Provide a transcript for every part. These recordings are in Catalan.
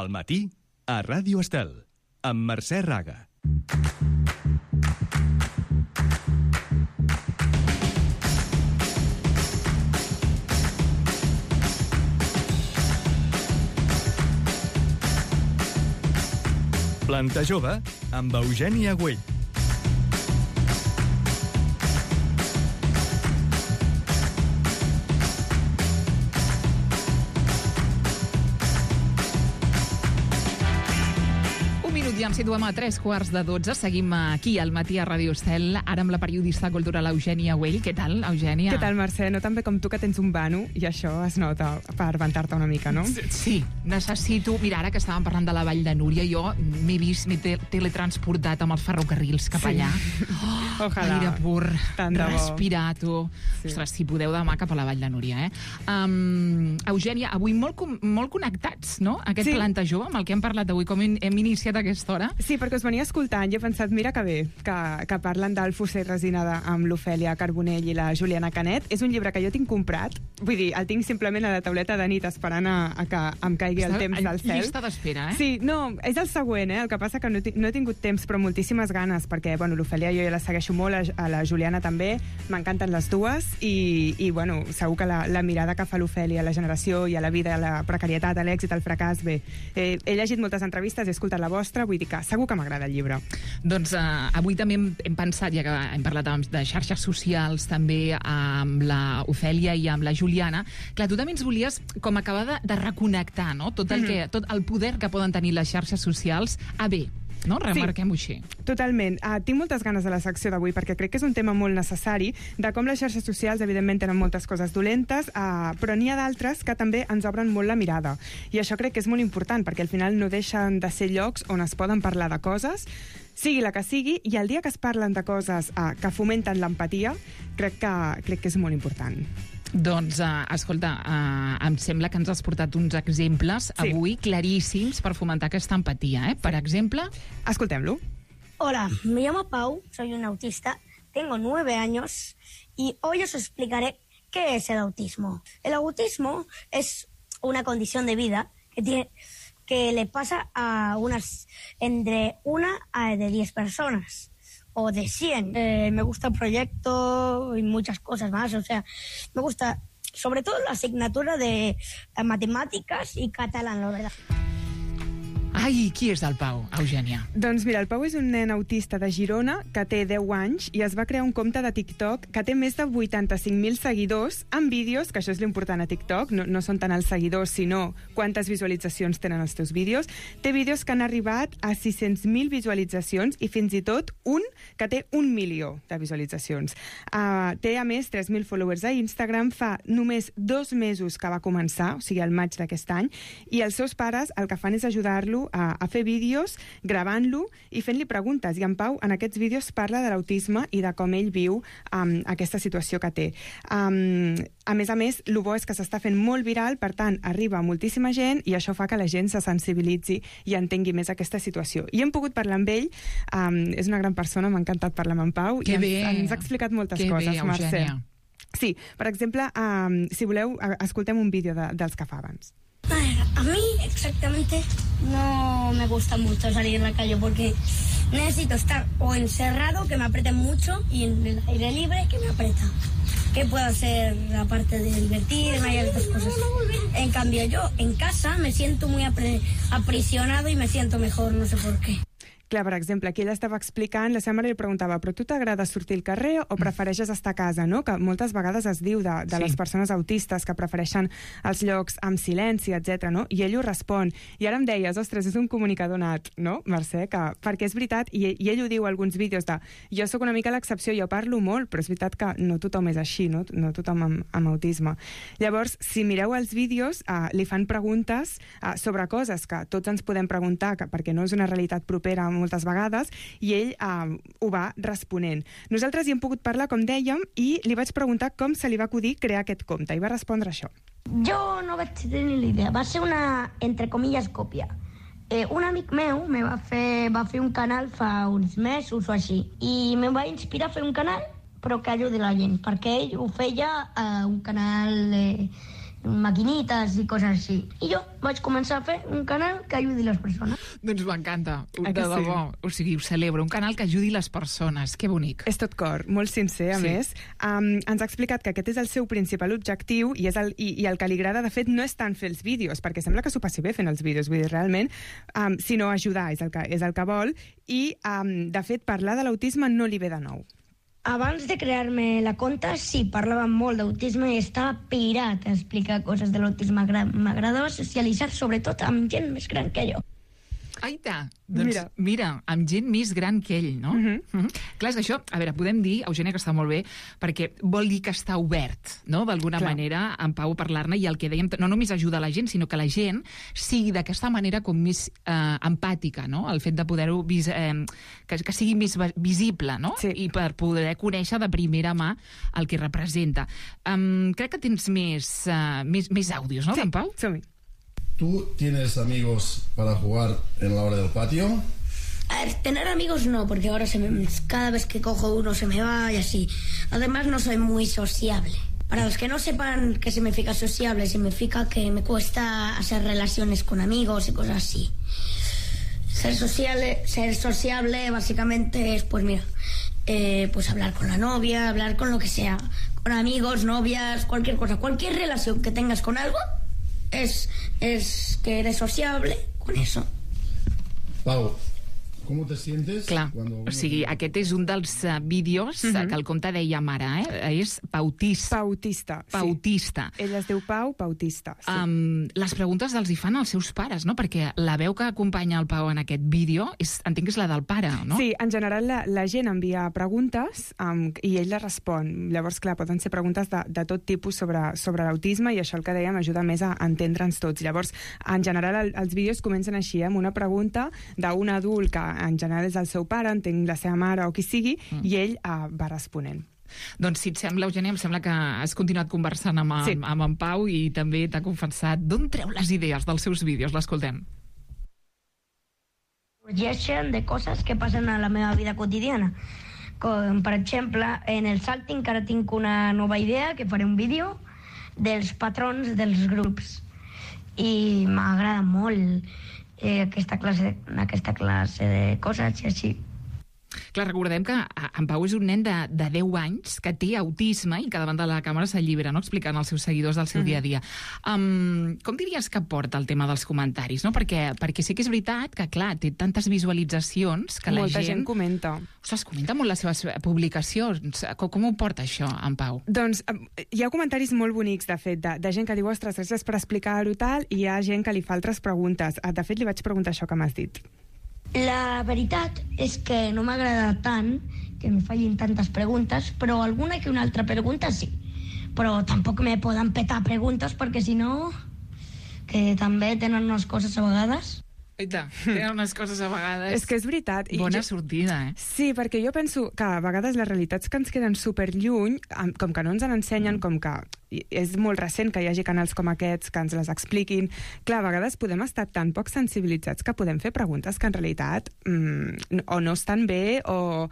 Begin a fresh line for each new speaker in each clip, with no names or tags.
Al matí, a Ràdio Estel, amb Mercè Raga. Planta Jove, amb Eugènia Güell.
Ja ens situem a 3:15. Seguim aquí al matí a Ràdio Estel, ara amb la periodista cultural Eugènia Güell. Què tal, Eugènia?
Què tal, Mercè? No tan bé com tu, que tens un vano, i això es nota per vantar-te una mica, no?
Sí, necessito... Mira, ara que estàvem parlant de la Vall de Núria, jo m'he teletransportat amb els ferrocarrils cap allà. Oh,
ojalà.
Aire pur,
Tant de bo.
respirar, tu. Sí. Ostres, si podeu demà cap a la Vall de Núria, Eugènia, avui molt connectats, no? Aquest Planta Jove, amb el que hem parlat avui, com hem iniciat aquesta hora.
Sí, perquè us venia escoltant i he pensat, mira que bé, que parlen del Fuster i Resina amb l'Ofèlia Carbonell i la Juliana Canet. És un llibre que jo tinc comprat, vull dir, el tinc simplement a la tauleta de nit esperant a que em caigui el temps del cel.
Llista d'espera, eh?
Sí, no, és el següent, el que passa que no he tingut temps, però moltíssimes ganes, perquè, bueno, l'Ofèlia jo ja la segueixo molt, a la Juliana també, m'encanten les dues, i bueno, segur que la mirada que fa l'Ofèlia a la generació i a la vida, a la precarietat, a l'èxit, al fracàs, bé, he llegit moltes entrevistes, he escoltat la vostra, vull dir que segur que m'agrada el llibre.
Doncs avui també hem pensat, ja que hem parlat de xarxes socials també amb la Ofèlia i amb la Juliana, clar, tu també ens volies com acabar de reconnectar, no? Tot el poder que poden tenir les xarxes socials a bé, no? Remarquem-ho així.
Totalment. Tinc moltes ganes de la secció d'avui perquè crec que és un tema molt necessari, de com les xarxes socials evidentment tenen moltes coses dolentes, però n'hi ha d'altres que també ens obren molt la mirada. I això crec que és molt important, perquè al final no deixen de ser llocs on es poden parlar de coses, sigui la que sigui, i el dia que es parlen de coses que fomenten l'empatia, crec que és molt important.
Doncs, escolta, em sembla que ens has portat uns exemples avui claríssims per fomentar aquesta empatia, eh? Per exemple...
Escoltem-lo.
Hola, me llamo Pau, soy un autista, tengo 9 años y hoy os explicaré qué es el autismo. El autismo es una condición de vida que le pasa a entre 1 a de 10 personas. O de 100. Me gusta el proyecto y muchas cosas más. O sea, me gusta sobre todo la asignatura de matemáticas y catalán, la verdad.
Ai, qui és el Pau, Eugènia?
Doncs mira, el Pau és un nen autista de Girona que té 10 anys i es va crear un compte de TikTok que té més de 85.000 seguidors amb vídeos, que això és l'important a TikTok, no són tant els seguidors, sinó quantes visualitzacions tenen els teus vídeos. Té vídeos que han arribat a 600.000 visualitzacions i fins i tot un que té 1 milió de visualitzacions. Té, a més, 3.000 followers a Instagram, fa només 2 mesos que va començar, o sigui, al maig d'aquest any, i els seus pares el que fan és ajudar-lo a fer vídeos, gravant-lo i fent-li preguntes. I en Pau, en aquests vídeos, parla de l'autisme i de com ell viu aquesta situació que té. A més, el bo és que s'està fent molt viral, per tant, arriba a moltíssima gent i això fa que la gent se sensibilitzi i entengui més aquesta situació. I hem pogut parlar amb ell, és una gran persona, m'ha encantat parlar amb en Pau, i ens ha explicat moltes coses, Mercè. Sí, per exemple, si voleu, escoltem un vídeo dels que fa abans.
A mí exactamente no me gusta mucho salir en la calle porque necesito estar o encerrado, que me aprieten mucho, y en el aire libre, que me aprieta. ¿Qué puedo hacer aparte de divertirme y otras cosas? En cambio, yo en casa me siento muy aprisionado y me siento mejor, no sé por qué.
Clar, per exemple, aquí ella estava explicant, la seva mare li preguntava, però tu t'agrada sortir al carrer o prefereixes estar a casa, no? Que moltes vegades es diu de les persones autistes que prefereixen els llocs amb silenci, etc. no? I ell ho respon. I ara em deies, ostres, és un comunicador nat, no, Mercè? Perquè és veritat, i ell ho diu a alguns vídeos de jo sóc una mica l'excepció, jo parlo molt, però és veritat que no tothom és així, no tothom amb autisme. Llavors, si mireu els vídeos, li fan preguntes sobre coses que tots ens podem preguntar, perquè no és una realitat propera moltes vegades, i ell ho va responent. Nosaltres hi hem pogut parlar, com dèiem, i li vaig preguntar com se li va acudir crear aquest compte, i va respondre això.
Jo no vaig tenir ni idea, va ser una, entre comillas, còpia. Un amic meu va fer un canal fa uns mesos o així, i me va inspirar a fer un canal, però que ajudi la gent, perquè ell ho feia un canal maquinitas i coses així. I jo vaig començar a fer un canal que ajudi les persones.
Doncs m'encanta, de
que sí?
debò. O sigui, ho celebro, un canal que ajudi les persones. Que bonic.
És tot cor, molt sincer, a més. Ens ha explicat que aquest és el seu principal objectiu i el que li agrada, de fet, no és tant fer els vídeos, perquè sembla que s'ho passi bé fent els vídeos, vull dir, realment, sinó ajudar, és el que vol, i, de fet, parlar de l'autisme no li ve de nou.
Abans de crear-me la conta, sí, parlava molt d'autisme i estava pirat a explicar coses de l'autisme. M'agradava socialitzar, sobretot amb gent més gran que jo.
Aita, doncs mira, amb gent més gran que ell, no? Clar, és que això, a veure, podem dir, Eugènia, que està molt bé, perquè vol dir que està obert, no?, d'alguna manera, en Pau, a parlar-ne, i el que dèiem, no només ajuda la gent, sinó que la gent sigui d'aquesta manera com més empàtica, no?, el fet de poder-ho, que sigui més visible, no?, i per poder conèixer de primera mà el que representa. Crec que tens més àudios, no, d'en Pau?
Som-hi.
¿Tú tienes amigos para jugar en la hora del patio?
A ver, tener amigos no, porque ahora cada vez que cojo uno se me va y así. Además no soy muy sociable. Para los que no sepan qué significa sociable, significa que me cuesta hacer relaciones con amigos y cosas así. Ser sociable básicamente es, pues mira, pues hablar con la novia, hablar con lo que sea, con amigos, novias, cualquier cosa, cualquier relación que tengas con algo. Es que eres sociable con eso.
Pau, com te sientes?
Clar, o sigui, aquest és un dels vídeos que el compte deia mare, és Pautista. Pautista.
Sí. Ell es diu Pau Pautista. Sí.
Les preguntes els hi fan els seus pares, no? Perquè la veu que acompanya el Pau en aquest vídeo, entenc que és la del pare, no?
Sí, en general la gent envia preguntes i ell les respon. Llavors, clar, poden ser preguntes de tot tipus sobre l'autisme i això el que dèiem ajuda més a entendre'ns tots. Llavors, en general, els vídeos comencen així, amb una pregunta d'un adult que en general és el seu pare, entenc la seva mare o qui sigui, i ell va responent.
Doncs si et sembla, Eugènia, em sembla que has continuat conversant amb en Pau i també t'ha confessat d'on treu les idees dels seus vídeos. L'escoltem.
Sorgeixen de coses que passen a la meva vida quotidiana. Com, per exemple, en el Salting, que ara tinc una nova idea, que faré un vídeo dels patrons dels grups. I m'agrada molt aquesta classe de coses i així.
Clar, recordem que en Pau és un nen de 10 anys que té autisme i que davant de la càmera s'allibera, no?, explicant als seus seguidors del seu dia a dia. Com diries que porta el tema dels comentaris, no? Perquè sí que és veritat que, clar, té tantes visualitzacions que
molta gent comenta.
Ostres, comenta molt les seves publicacions. Com ho porta això, en Pau?
Doncs hi ha comentaris molt bonics, de fet, de gent que diu, ostres, gràcies per explicar-ho tal, i hi ha gent que li fa altres preguntes. De fet, li vaig preguntar això que m'has dit.
La veritat és que no m'agrada tant que em facin tantes preguntes, però alguna que una altra pregunta sí. Però tampoc me poden petar preguntes perquè si no, que també tenen unes coses a vegades.
Tenen unes coses a vegades...
És que és veritat.
Bona sortida,
Sí, perquè jo penso que a vegades les realitats que ens queden superlluny, com que no ens ensenyen, com que és molt recent que hi hagi canals com aquests que ens les expliquin, clar, a vegades podem estar tan poc sensibilitzats que podem fer preguntes que en realitat o no estan bé o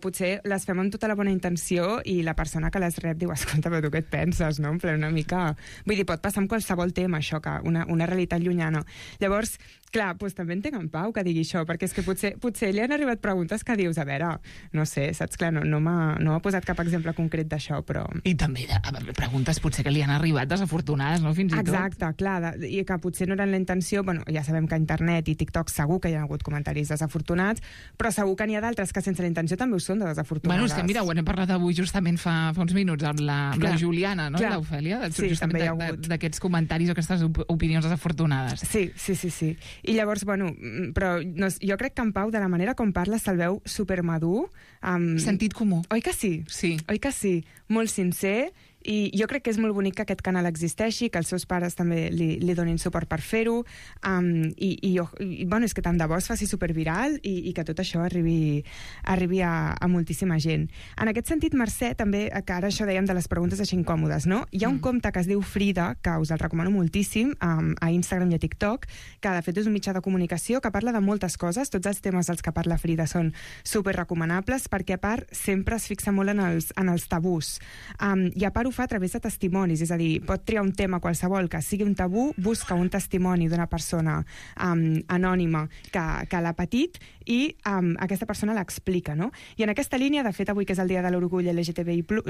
potser les fem amb tota la bona intenció i la persona que les rep diu, escolta, però tu què et penses, no? En ple una mica... Vull dir, pot passar amb qualsevol tema, això, que una realitat llunyana. Llavors, clar, doncs també entenc en Pau que digui això, perquè és que potser li han arribat preguntes que dius, a veure, no sé, saps? Clar, no m'ha posat cap exemple concret d'això, però...
I també preguntes potser que li han arribat desafortunades, no? Fins i tot.
Exacte, clar, i que potser no eren la intenció, bueno, ja sabem que a internet i TikTok segur que hi ha hagut comentaris desafortunats, però segur que n'hi ha d'altres que sense la intenció també ho són de desafortunades.
Bueno, és que mira, ho hem parlat avui justament fa uns minuts amb la Juliana, no? I l'Ofèlia, justament d'aquests comentaris o aquestes opinions desafortunades.
Sí. I llavors, bueno, però jo crec que en Pau, de la manera com parla, se'l veu supermadur.
Sentit comú.
Oi que sí?
Sí.
Oi que sí? Molt sincer. I jo crec que és molt bonic que aquest canal existeixi, que els seus pares també li donin suport per fer-ho, bueno, és que tant de bo es faci superviral i que tot això arribi a moltíssima gent. En aquest sentit, Mercè, també, que ara això dèiem de les preguntes així incòmodes, no? Hi ha un compte que es diu Frida, que us el recomano moltíssim, a Instagram i a TikTok, que de fet és un mitjà de comunicació que parla de moltes coses, tots els temes dels que parla Frida són superrecomanables, perquè a part sempre es fixa molt en els tabús, i a part ho fa a través de testimonis, és a dir, pot triar un tema qualsevol que sigui un tabú, busca un testimoni d'una persona anònima que l'ha patit i aquesta persona l'explica, no? I en aquesta línia, de fet, avui que és el dia de l'orgull LGTBIQ+,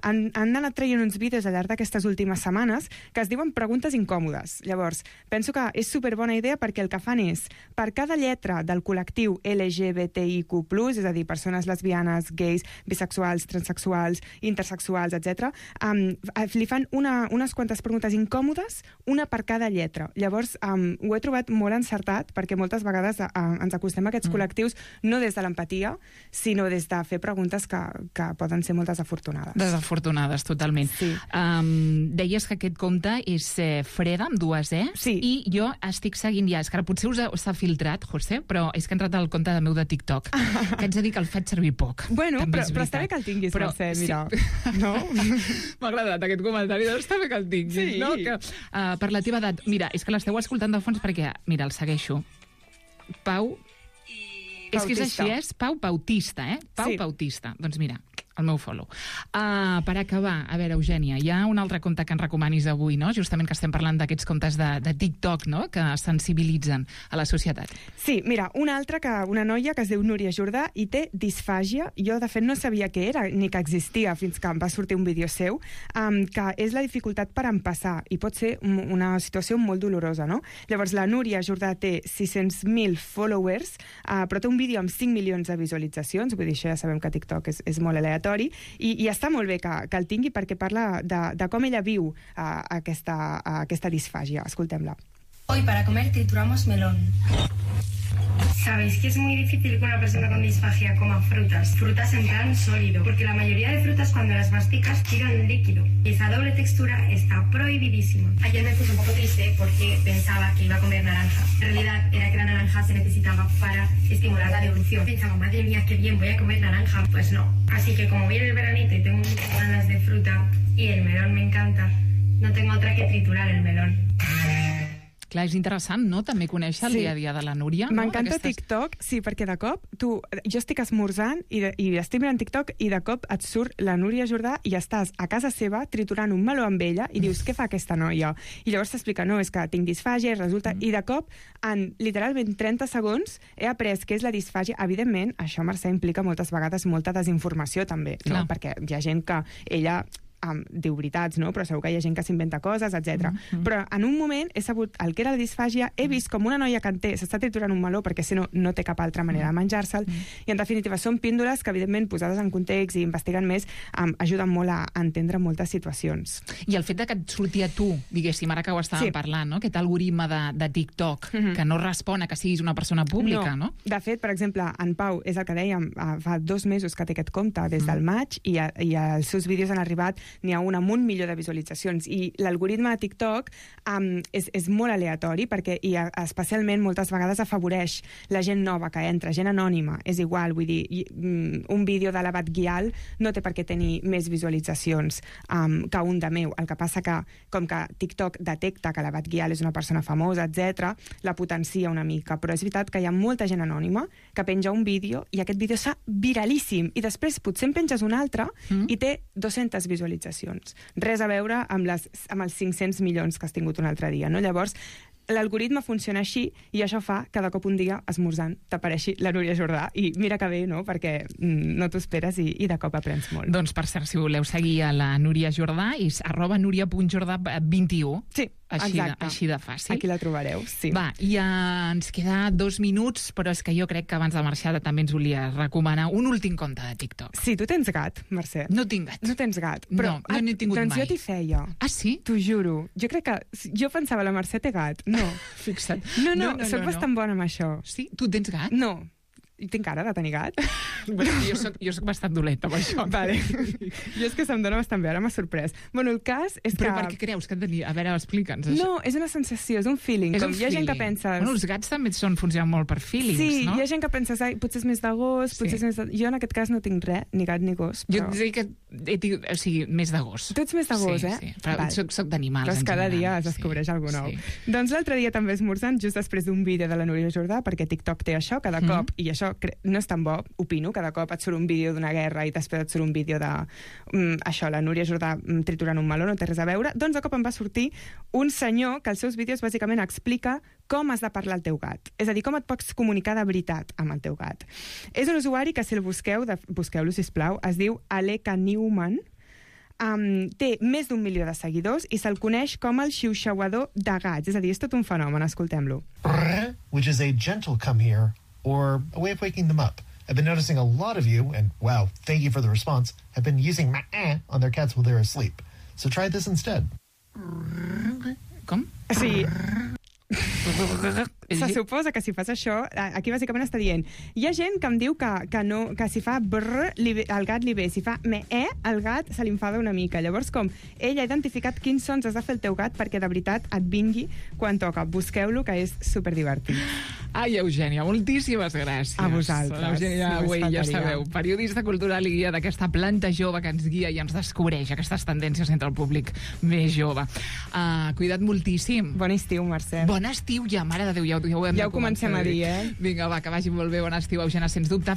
han anat traient uns vídeos al llarg d'aquestes últimes setmanes que es diuen preguntes incòmodes. Llavors, penso que és superbona idea perquè el que fan és, per cada lletra del col·lectiu LGBTIQ+, és a dir, persones lesbianes, gais, bisexuals, transsexuals, intersexuals, etc., li fan unes quantes preguntes incòmodes, una per cada lletra. Llavors, ho he trobat molt encertat perquè moltes vegades ens acostem a aquests col·lectius no des de l'empatia, sinó des de fer preguntes que poden ser molt desafortunades.
Desafortunades, totalment.
Sí.
Deies que aquest compte és Freda, amb 2 E,
sí.
I jo estic seguint ja, és que ara potser s'ha filtrat, José, però és que ha entrat al compte meu de TikTok, que haig de dir que el faig servir poc.
Bueno, però està bé que el tinguis, Mercè, mira. Sí. No?
M'ha agradat aquest comentari, doncs està bé que el tinguis,
sí.
No? Que, per la teva edat, mira, és que l'esteu escoltant de fons perquè, mira, el segueixo. Pau... És que és així, és Pau Bautista, Pau Bautista. Doncs mira, el meu follow. Per acabar, a veure, Eugènia, hi ha un altre compte que ens recomanis avui, no? Justament que estem parlant d'aquests comptes de TikTok, no? Que sensibilitzen a la societat.
Sí, mira, una noia que es diu Núria Jordà i té disfàgia. Jo, de fet, no sabia què era ni que existia fins que em va sortir un vídeo seu, que és la dificultat per empassar i pot ser una situació molt dolorosa, no? Llavors, la Núria Jordà té 600.000 followers, però té un vídeo amb 5 milions de visualitzacions, vull dir, això ja sabem que TikTok és molt aleatori, i està molt bé que el tingui perquè parla de com ella viu aquesta disfàgia. Escoltem-la.
Hoy para comer trituramos melón. Sabéis que es muy difícil que una persona con disfagia coma frutas en plan sólido, porque la mayoría de frutas cuando las masticas tiran líquido y esa doble textura está prohibidísima. Ayer me puse un poco triste porque pensaba que iba a comer naranja. En realidad era que la naranja se necesitaba para estimular la devolución. Pensaba, madre mía, qué bien, voy a comer naranja. Pues no. Así que como viene el veranito y tengo muchas ganas de fruta y el melón me encanta, no tengo otra que triturar el melón.
Clar, és interessant, no?, també conèixer el dia a dia de la Núria.
M'encanta TikTok, sí, perquè de cop jo estic esmorzant i estic mirant TikTok i de cop et surt la Núria Jordà i estàs a casa seva triturant un meló amb ella i dius, què fa aquesta noia? I llavors t'explica, no, és que tinc disfàgia i resulta... I de cop, en literalment 30 segons, he après què és la disfàgia. Evidentment, això, Mercè, implica moltes vegades molta desinformació, també, no? Perquè hi ha gent que ella... diu veritats, no? Però segur que hi ha gent que s'inventa coses, etc. Però en un moment he sabut el que era la disfàgia, he vist com una noia que s'està triturant un meló perquè si no té cap altra manera de menjar-se'l, i en definitiva són píndoles que evidentment posades en context i investigant més ajuden molt a entendre moltes situacions.
I el fet de que et surti a tu, diguéssim, ara que ho estàvem parlant, no? Aquest algoritme de TikTok que no respon a que siguis una persona pública, no?
De fet, per exemple, en Pau, és el que dèiem, fa 2 mesos que té aquest compte, des del maig, i els seus vídeos han arribat n'hi ha un amb 1 milió de visualitzacions. I l'algoritme de TikTok és molt aleatori perquè especialment moltes vegades afavoreix la gent nova que entra, gent anònima. És igual, vull dir, un vídeo de l'Abat Guial no té per què tenir més visualitzacions que un de meu. El que passa que, com que TikTok detecta que l'Abat Guial és una persona famosa, etc., la potencia una mica. Però és veritat que hi ha molta gent anònima que penja un vídeo i aquest vídeo s'ha viralíssim i després potser en penges un altre i té 200 visualitzacions. Res a veure amb els 500 milions que has tingut un altre dia, no? Llavors, l'algoritme funciona així i això fa que de cop un dia, esmorzant, t'apareixi la Núria Jordà. I mira que bé, no?, perquè no t'ho esperes i de cop aprens molt.
Doncs, per cert, si voleu seguir a la Núria Jordà, és @nuria.jordà21.
Sí, exacte.
Així de fàcil.
Aquí la trobareu, sí.
Va, ja ens queda 2 minuts, però és que jo crec que abans de marxar també ens volia recomanar un últim compte de TikTok.
Sí, tu tens gat, Mercè.
No tinc gat.
No tens gat. Però,
no n'he tingut
doncs
mai.
jo t'hi feia.
Ah, sí?
T'ho juro. Jo crec que... Jo pensava, la Mercè té gat. No.
Fixa't.
No, soc bastant bona amb això.
Sí? Tu tens gat?
No. I tinc cara de tenir gat?
Bueno, jo soc bastant dolenta amb això.
Vale. Jo és que se'm dona bastant bé, ara m'ha sorprès. Bueno, el cas és
Però per què creus que tenia? A veure, explica'ns això.
No, és una sensació, és un feeling.
És
com hi ha gent que pensa...
Bueno, els gats també funcionen molt per feelings,
sí,
no?
Sí, hi ha gent que pensa, potser és més de gos, potser és més de... Jo en aquest cas no tinc res, ni gat ni gos. Però...
Jo dic que o sigui, més de gos.
Tu ets més de gos,
Sí, però soc d'animals
en
general.
Cada dia es descobreix algú nou. Doncs l'altre dia també esmorzant, just després d'un vídeo de la Núria Jordà, perquè TikTok té això, cada cop, i això això no és tan bo, opino, cada cop et surt un vídeo d'una guerra i després et surt un vídeo de això, la Núria Jordà triturant un meló, no té res a veure. Doncs de cop em va sortir un senyor que als seus vídeos bàsicament explica com has de parlar al teu gat. És a dir, com et pots comunicar de veritat amb el teu gat. És un usuari que, si el busqueu-lo, sisplau, es diu Aleka Newman. Té més d'1 milió de seguidors i se'l coneix com el xiuxiuador de gats. És a dir, és tot un fenomen, escoltem-lo.
Which is a gentle come here, or a way of waking them up. I've been noticing a lot of you, and wow, thank you for the response, have been using on their cats while they're asleep. So try this instead.
Com?
Sí. Se suposa que si fas això, aquí bàsicament està dient, hi ha gent que em diu que si fa brr, el gat li ve, si fa el gat se li enfada una mica. Llavors, com ell ha identificat quins sons has de fer el teu gat perquè de veritat et vingui quan toca. Busqueu-lo, que és superdivertit.
Ai, Eugènia, moltíssimes gràcies.
A vosaltres.
Eugènia Güell, ja sabeu, periodista cultural i guia d'aquesta planta jove que ens guia i ens descobreix aquestes tendències entre el públic més jove. Cuida't moltíssim.
Bon estiu, Mercè.
Bon estiu ja, mare de Déu, ja ho
comencem a dir, eh?
Vinga, va, que vagi molt bé, bon estiu, Eugènia, sens dubte.